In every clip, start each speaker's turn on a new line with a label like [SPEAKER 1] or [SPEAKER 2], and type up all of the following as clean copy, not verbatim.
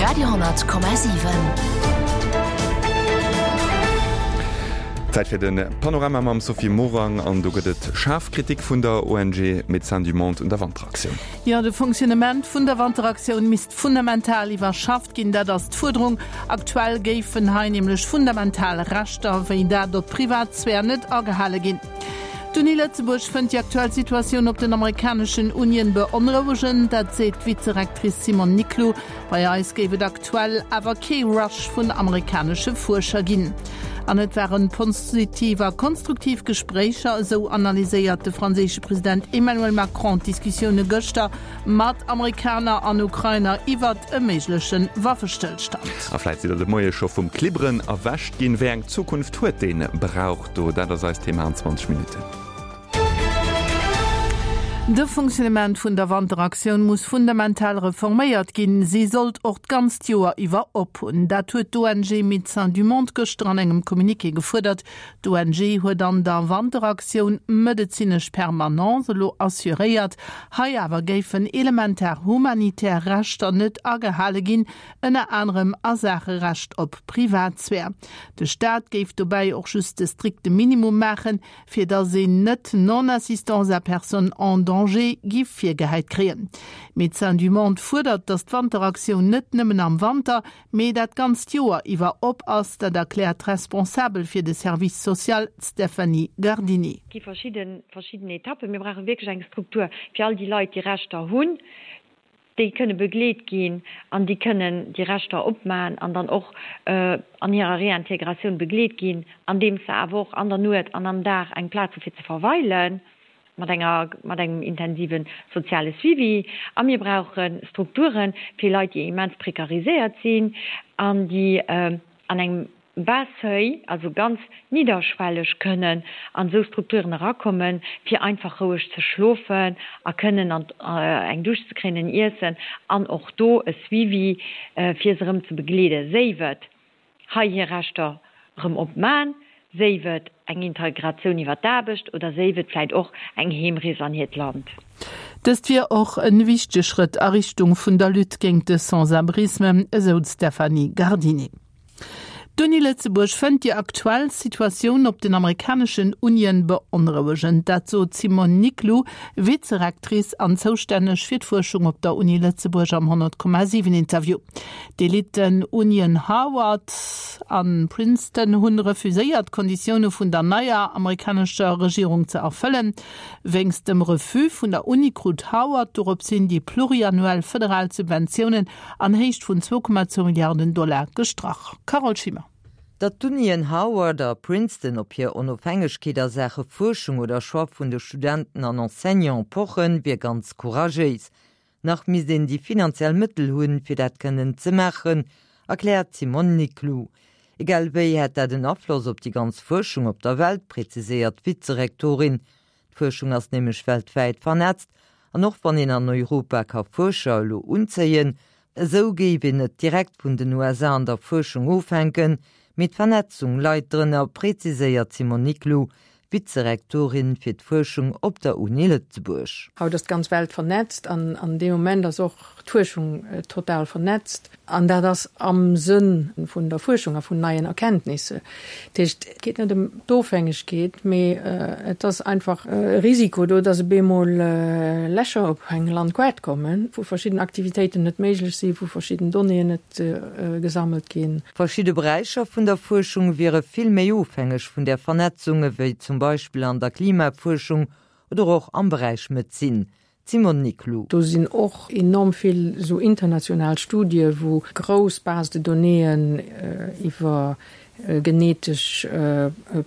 [SPEAKER 1] Radio,7.
[SPEAKER 2] Zäit fir de Panorama mam Sophie Morang an do gëtt et schaarf Kritik vun der ONG Médecins du Monde un der Wanteraktioun.
[SPEAKER 3] Jo, de Fonctionnement vun der Wanteraktioun misst fundamental iwwerschafft ginn, dat ass d'Fuerderung. Aktuell géifen hei nämlech fundamental Rechter, wéi dat op d'Privatsphär, net agehale ginn. D'Uni Lëtzebuerg fënnt déi aktuell Situatioun op den amerikaneschen Unien beonrouegend. Dat seet d'Vizerectrice Simone Niclou. Bei eis géif et aktuell awer kee Rush vun amerikanesche Fuerscher ginn. An et waren positiv a konstruktiv Gespréicher, esou analyséiert de franséische President Emmanuel Macron d'Diskussioune gëschter mat Amerikaner an Ukrainer iwwert e méigleche Waffestëllstand.
[SPEAKER 2] A vläit sidd der de Moie scho vum Klibberen erwächt ginn. Wéi eng Zukunft huet dee Brauch do? Dat ass eist Thema an 20 Minutten.
[SPEAKER 3] De Fonctionnement vun der Wanteraktioun muss fundamental reforméiert ginn. Si sollt och d'ganzt Joer iwwer op hunn. Dat huet d'ONG Médecins du Monde gëschter an engem Communiqué gefuerdert. D'ONG huet an der Wanteraktioun medezinesch Permanence elo assuréiert. Hei awer géifen elementar humanitär Rechter net agehale ginn, ënner anerem a Saache Recht op Privatsphär. De Staat géif dobäi och just de strikte Minimum maachen, fir datt een net Non-assistance à personne en danger giff virgehäit kréien. Médecins du Monde fuerdert, datt d'Wanteraktioun net nëmmen am Wanter, mee dat ganzt Joer iwwer op ass. Dat erkläert d'Responsabel fir de Service social, d'Stéphanie Gardini.
[SPEAKER 4] Et gi verschidden verschidden Etappen. Mir brauche wierklech eng Struktur fir all déi Leit, déi Rechter hunn, déi kënne begleet ginn an déi kënnen déi Rechter opmaen an dann och an hirer Réintégratioun begleet ginn, andeems se awer och an der Nuet an am Dag eng Plaz hu fir ze verweilen, mat enger, mat engem intensive soziale Suivi. A mir brauche Strukture fir Leit, déi immens prekariséiert sinn an déi an engem bas seuil, also ganz nidderschwelleg kënnen an esou Strukturen erakommen, fir einfach roueg ze schlofen a kënnen an eng Dusch ze kréien, en Iessen an och do e Suivi, fir se erëm ze begleeden, séif et hei hir Rechter erëm opman, séif et eng Integratioun iwwer d'Aarbecht oder séif et vläicht och eng Heemrees an hiert Land.
[SPEAKER 3] Dëst wier och en wichtege Schrëtt a Richtung vun der Lutte géint de Sans-abrisme, esou d'Stéphanie Gardini. D'Uni Lëtzebuerg fënnt déi aktuell Situatioun op den amerikaneschen Unien beonrouegend. Dat sot d'Simone Niclou, Vizerectrice an zoustänneg fir d'Fuerschung op der Uni Lëtzebuerg am 100,7 Interview. D'Eliten-Unien Harvard a Princeton hunn refuséiert, d'Konditioune vun der neier amerikanescher Regierung ze erfëllen. Wéinst dem Refus vun der Uni krut Harvard dorops hin déi pluriannuell federal Subventiounen an Héicht vun 2,2 Milliarden Dollar gestrach. Carole Schimmer.
[SPEAKER 5] Datt d'Unien Howard a Princeton op hir Onofhängegkeet a Saache Fuerschung oder Choix vun de Studenten an Enseignante pochen, wier ganz couragéis. Nach misst een déi finanziell Mëttel hunn, fir dat kënnen ze maachen, erkläert d'Simone Niclou. Egal wéi hätt dat en Afloss op déi ganz Fuerschung op der Welt, preziséiert d'Vizerektorin. D'Fuerschung ass nämlech weltwäit vernetzt an och wann een an Europa ka Fuerscher elo unzéien, esou géif een net direkt vun den USA an der Fuerschung ofhänken, mee d'Vernetzung leit drënner, preziséiert d'Simone Niclou, Vizerektorin fir d'Fuerschung op der Uni Lëtzebuerg.
[SPEAKER 6] Haut ass d'ganz Welt vernetzt an an deem Moment ass och d'Fuerschung total vernetzt. An dat ass am Sënn vun der Fuerschung a vun neien Erkenntnisse. Dat heescht, et geet net ëm d'Ofhängegkeet, mee et ass einfach e Risiko do, datt op eemol Lächer op eng Landkaart kommen, wou verschidden Aktivitéiten net méiglech sinn, wou verschidden Donnéeën net gesammelt ginn.
[SPEAKER 5] Verschidde Beräicher vun der Fuerschung wiere vill méi ofhängeg vun där Vernetzung, ewéi zum Beispill an der Klimafuerschung oder och am Beräich Medezin. D'Simone Niclou.
[SPEAKER 6] Do sinn och enorm vill esou international Studie wou grouss Bases de donnéeën iwwer genetesch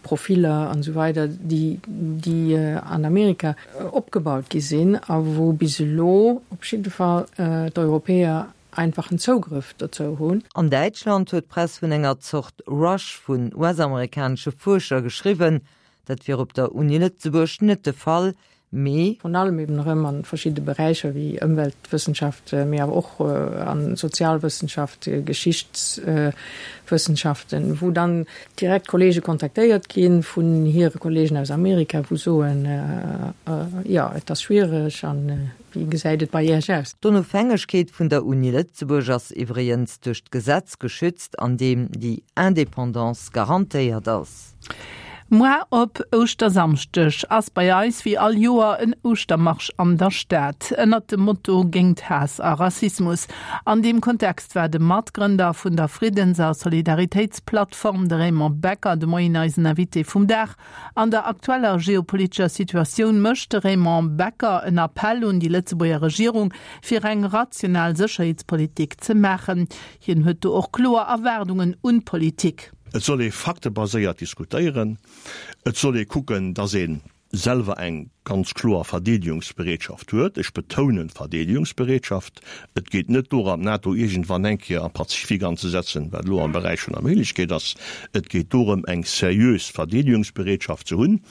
[SPEAKER 6] Profiller an esou weider, déi déi an Amerika opgebaut gi sinn a wou bis elo op jidde Fall d'Europäer einfachen Zougrëff dozou hunn.
[SPEAKER 5] An Däitschland huet d'Press vun enger Zort Rush vun US-amerikanesche Fuerscher geschriwwen. Dat wier op der Uni Lëtzebuerg net de Fall, Mee.
[SPEAKER 6] Vrun allem eben erëm a verschidde Beräicher wéi Ëmweltwëssenschaft, mee awer och a Sozialwëssenschaft, Geschichtswëssenschaften, wou dann direkt Kollege kontaktéiert gi vun hire Kollegen aus Amerika, wou soen, jo, et ass schwiereg a wéi gesäit et bei Iech aus?
[SPEAKER 5] D'Onofhängegkeet vun der Uni Lëtzebuerg ass iwwregens duerch d'Gesetz geschützt, an deem déi Indépendance garantéiert ass.
[SPEAKER 3] Moar op Ouschtersamschdeg ass bei eis wéi all Joer en Ouschtermarsch an der Stad ënnert dem Motto Géingt Haass a Rassismus. An deem Kontext war de Matgrënder vun der Friddens a Solidaritéitsplattform, de Raymond Becker, de Moien eisen Invité vum Dag. An der aktueller geopolitescher Situatioun mécht de Raymond Becker en Appell un déi Lëtzebuerger Regierung, fir eng rational Sécherheetspolitik ze maachen. Hien huet do och kloer Erwaardungen un d'Politik.
[SPEAKER 1] Et soll ee faktebaséiert diskutéieren. Et soll ee kucken, datt ee selwer eng ganz kloer Verdeedegungsbereetschaft huet. Ech betounen Verdeedegungsbereetschaft. Et geet net dorëm, d'NATO iergendwann eng Kéier am Pazifik anzesetzen, wat elo am Beräich vun der Méiglechkeet ass. Et geet dorëm, eng seriös Verdeedegungsbereetschaft ze hunn.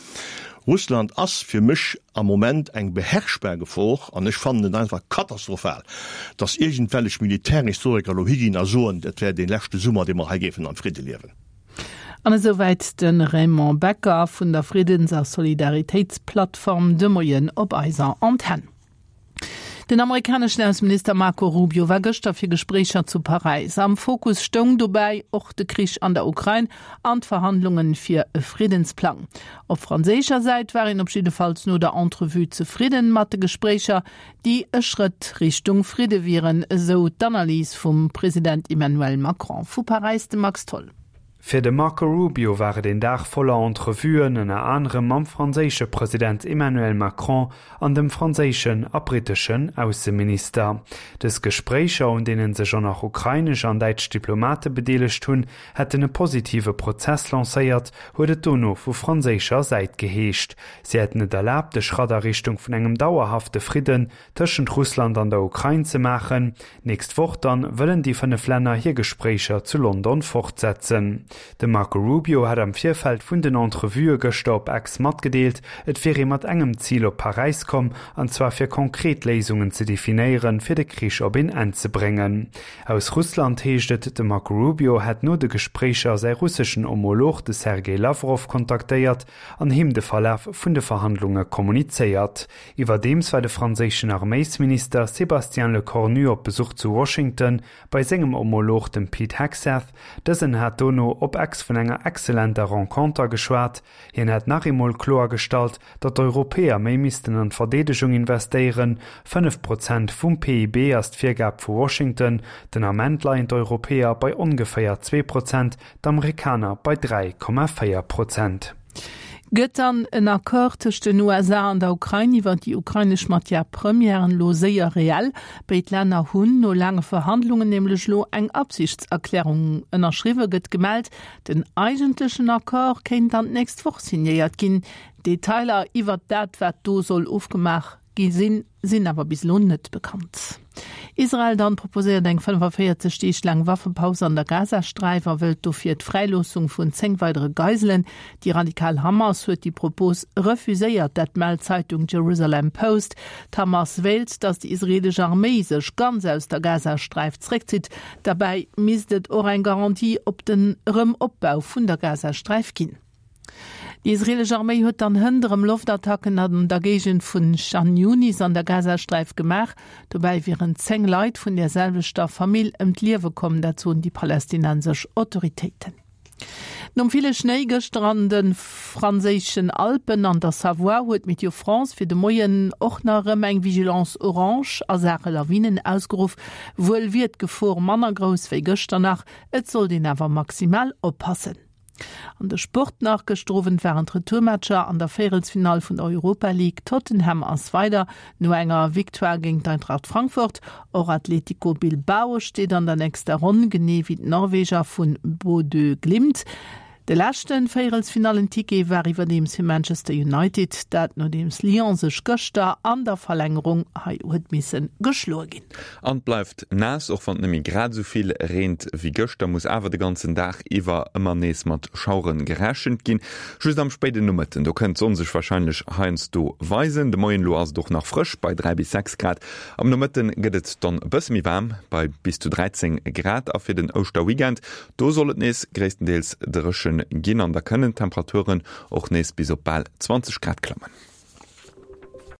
[SPEAKER 1] Russland ass fir mech am Moment eng beherrschbar Gefor an ech fannen et einfach katastrophal, datt iergendwellech Militärhistoriker elo higinn a soen, et wär dee leschte Summer, dee mer hei géifen am Fridde liewen.
[SPEAKER 3] An esouwäit de Raymond Becker vun der Friddens a Solidaritéitsplattform de Moien op eiser Antenn. Den amerikaneschen Ausseminister Marco Rubio war gëschter fir Gespréicher zu Paräis. Am Fokus stoung dobäi och de Krich an der Ukrain an d'Verhandlunge fir e Friddensplang. Op franséischer Säit war een op jiddefalls no der Entrevue zefridden mat de Gespréicher, déi e Schrëtt Richtung Fridde wieren, esou d'Analys vum President Emmanuel Macron. Vu Paräis de Max Tholl.
[SPEAKER 7] Fir de Marco Rubio war et een Dag voller Entrevuen, ënner anerem mam franséische President Emmanuel Macron an dem franséischen a britteschen Ausseminister. Dës Gespréicher, un deene sech och nach ukrainesch an däitsch Diplomate bedeelegt hunn, hätten e positive Prozess lancéiert, huet et dono vu franséischer Säit geheescht. Si hätten et erlaabt, e Schratt a Richtung vun engem dauerhafte Fridden tëschent Russland an der Ukrain ze maachen. Nächst Woch dann wëllen déi 5 Länner hir Gespréicher zu London fortsetzen. De Marco Rubio hat am Virfeld vun den Entrevuë gëschter op X matgedeelt, et wier ee mat engem Zil op Paräis komm, an zwar fir konkret Léisungen ze definéieren, fir de Krich op een Enn ze bréngen. Aus Russland heescht et, de Marco Rubio hätt no de Gespréicher säi russeschen Homolog, de Sergej Lawrow, kontaktéiert an him de Verlaf vun de Verhandlunge kommunizéiert. Iwwerdeems war de franséischen Arméisminister Sébastien Lecornu op Besuch zu Washington bei sengem Homolog, dem Pete Hegseth. Dësen hat dono op Ex vun enger excellenter Renconter geschwat. Hien hätt nach eemol kloergestallt, datt d'Europäer méi missten an d'Verdeedegung investéieren. 5 Prozent vum PIB ass d'Virgab vu Washington. Den Ament leien d'Europäer bei ongeféier 2 Prozent, d'Amerikaner bei 3,4 Prozent.
[SPEAKER 3] Gëtt dann en Accord tëscht den USA an der Ukrain iwwer déi ukrainesch Matière-premièren elo séier reell? Béid Länner hunn no laange Verhandlungen nämlech elo eng Absichtserklärung ënnerschriwwen, gëtt gemellt. Den eigentlechen Accord kéint dann d'nächst Woch signéiert ginn. Detailer iwwert dat, wat do soll ofgemaach gi sinn, sinn awer bis elo net bekannt. Israel dann proposéiert eng 45 Deeg laang Waffepaus an der Gazasträif a wëllt dofir d'Fräiloossung vun 10 weidere Geiselen. Déi radikal Hamas huet déi Propos refuséiert, dat mellt d'Zeitung Jerusalem Post. D'Hamas wéilt, datt déi israeelesch Arméi sech ganz aus der Gazasträif zeréckzitt. Derbäi misst et och eng Garantie op den Erëm-Opbau vun der Gazasträif ginn. Déi israeelesch Arméi huet dann hënt erëm Loftattacken an der Géigend vun Chan Yunis an der Gazasträif gemaach. Dobäi wieren 10 Leit vun der selwechter Famill ëm d'Liewe komm, dat soen déi palästinensesch Autoritéiten. Nom ville Schnéi gëschter an de franséischen Alpen an der Savoie huet Météo France fir de Moien och nach erëm eng Vigilance orange a Saache Lawinen ausgeruff. Wuel wier d'Gefor manner grouss wéi gëschter nach, et sollt een awer maximal oppassen. An de Sport nach, Gëschter Owend waren d'Retourmatcher an der Véierelsfinall vun der Europa League. Tottenham ass weider no enger Victoire géint d'Eintracht Frankfurt. Och Atletico Bilbao steet an der nächster Ronn, genee wéi d'Norweger vu Bodø Glimt. De leschte Véierelsfinallen-Ticket war iwwerdeems fir Manchester United, dat nodeems Lyon sech gëschter an der Verlängerung hei huet misse geschloe ginn.
[SPEAKER 2] An et bleift naass, och wann et net méi grad esou vill reent wéi gëschter, muss awer de ganzen Dag iwwer ëmmer nees mat Schauere gerechent ginn. Just am spéiden Nomëtten, do kënnt d'Sonn sech warscheinlech heiansdo weisen. De Moien elo ass et och nach frësch bei 3 bis 6 Grad, am Nomëtte gëtt et dann e bësse méi waarm bei bis zu 13 Grad. A fir den Ouschterweekend, do soll et nees gréisstendeels dréche ginn an da kënnen d'Temperaturen och nees bis op bal 20 Grad klammen.